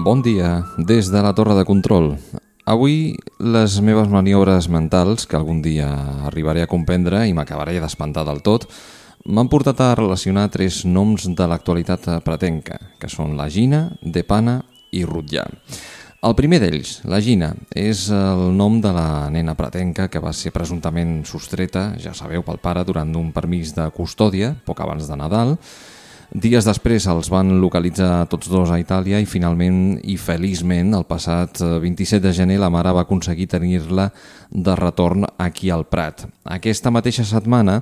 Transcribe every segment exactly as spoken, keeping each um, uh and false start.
Bon dia, des de la torre de control. Avui les meves maniobres mentals, que algun dia arribaré a comprendre i m'acabaré d'espantar del tot, m'han portat a relacionar tres noms de l'actualitat pretenca, que són la Gina, Depana i Rotllà. El primer d'ells, la Gina, és el nom de la nena pretenca que va ser presumptament sostreta, ja sabeu, pel pare durant un permís de custòdia, poc abans de Nadal. Dies després els van localitzar tots dos a Itàlia i finalment i feliçment el passat vint-i-set de gener la mare va aconseguir tenir-la de retorn aquí al Prat. Aquesta mateixa setmana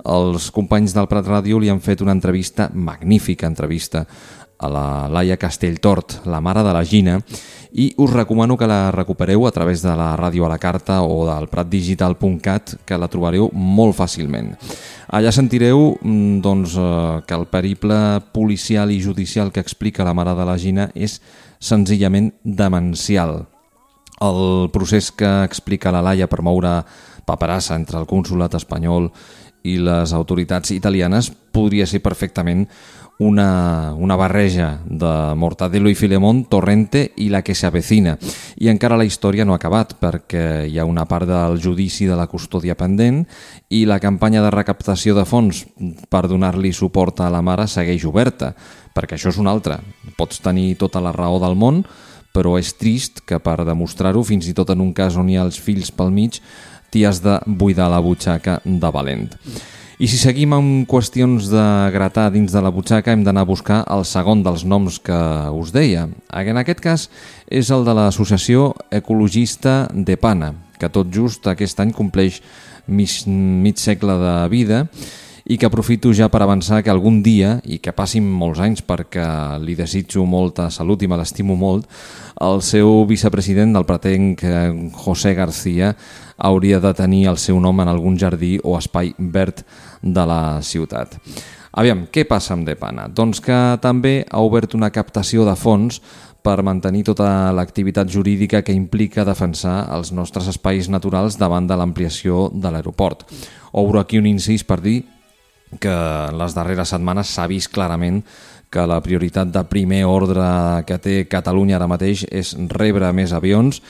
els companys del Prat Ràdio li han fet una entrevista, magnífica entrevista, a la Laia Castelltort, la mare de la Gina, i us recomano que la recupereu a través de la ràdio a la carta o del pratdigital punt cat, que la trobareu molt fàcilment. Allà sentireu doncs, que el periple policial i judicial que explica la mare de la Gina és senzillament demencial. El procés que explica la Laia per moure paperassa entre el consolat espanyol i les autoritats italianes podria ser perfectament una, una barreja de Mortadelo i Filemón, Torrente i La que se avecina. I encara la història no ha acabat perquè hi ha una part del judici de la custòdia pendent i la campanya de recaptació de fons per donar-li suport a la mare segueix oberta, perquè això és una altra. Pots tenir tota la raó del món, però és trist que per demostrar-ho, fins i tot en un cas on hi ha els fills pel mig, t'hi has de buidar la butxaca de valent. I si seguim amb qüestions de gratar dins de la butxaca, hem d'anar a buscar el segon dels noms que us deia. En aquest cas és el de l'associació ecologista Depana, que tot just aquest any compleix mig, mig segle de vida i que aprofito ja per avançar que algun dia, i que passin molts anys perquè li desitjo molta salut i me l'estimo molt, el seu vicepresident del pretenc José García hauria de tenir el seu nom en algun jardí o espai verd de la ciutat. Aviam, què passa amb Depana? Doncs que també ha obert una captació de fons per mantenir tota l'activitat jurídica que implica defensar els nostres espais naturals davant de l'ampliació de l'aeroport. Obro aquí un incís per dir que en les darreres setmanes s'ha vist clarament que la prioritat de primer ordre que té Catalunya ara mateix és rebre més avions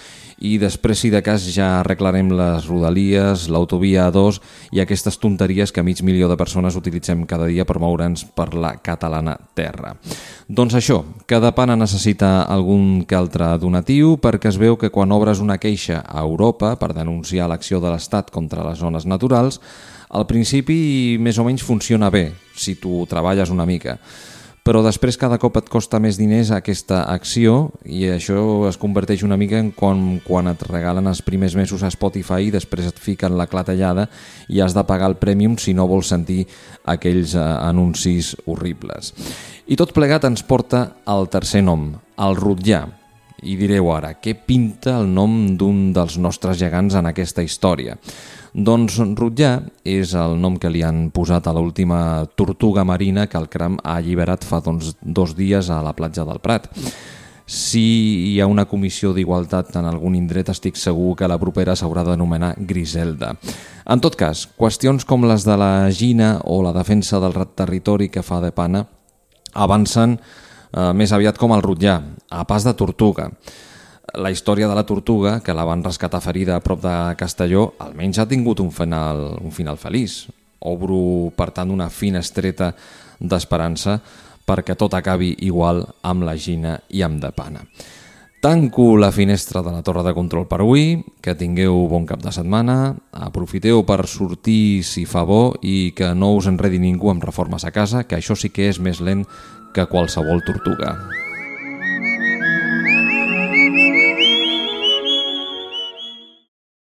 i després, si de cas, ja arreglarem les rodalies, l'autovia A dos i aquestes tonteries que mig milió de persones utilitzem cada dia per moure'ns per la catalana terra. Doncs això, que Depana necessita algun que altre donatiu perquè es veu que quan obres una queixa a Europa per denunciar l'acció de l'Estat contra les zones naturals, al principi més o menys funciona bé, si tu treballes una mica. Però després cada cop et costa més diners aquesta acció i això es converteix una mica en quan, quan et regalen els primers mesos a Spotify i després et fiquen la clatellada i has de pagar el Premium si no vols sentir aquells eh, anuncis horribles. I tot plegat ens porta al tercer nom, el Rotllà. I direu ara, què pinta el nom d'un dels nostres gegants en aquesta història? Doncs Rotllà és el nom que li han posat a l'última tortuga marina que el Cram ha alliberat fa doncs, dos dies a la platja del Prat. Si hi ha una comissió d'igualtat en algun indret, estic segur que la propera s'haurà d'anomenar Griselda. En tot cas, qüestions com les de la Gina o la defensa del territori que fa Depana avancen eh, més aviat com el Rotllà, a pas de tortuga. La història de la tortuga, que la van rescatar ferida a prop de Castelló, almenys ha tingut un final, un final feliç. Obro, per tant, una finestreta d'esperança perquè tot acabi igual amb la Gina i amb Depana. Tanco la finestra de la torre de control per avui, que tingueu bon cap de setmana, aprofiteu per sortir si fa bo i que no us enredi ningú amb reformes a casa, que això sí que és més lent que qualsevol tortuga.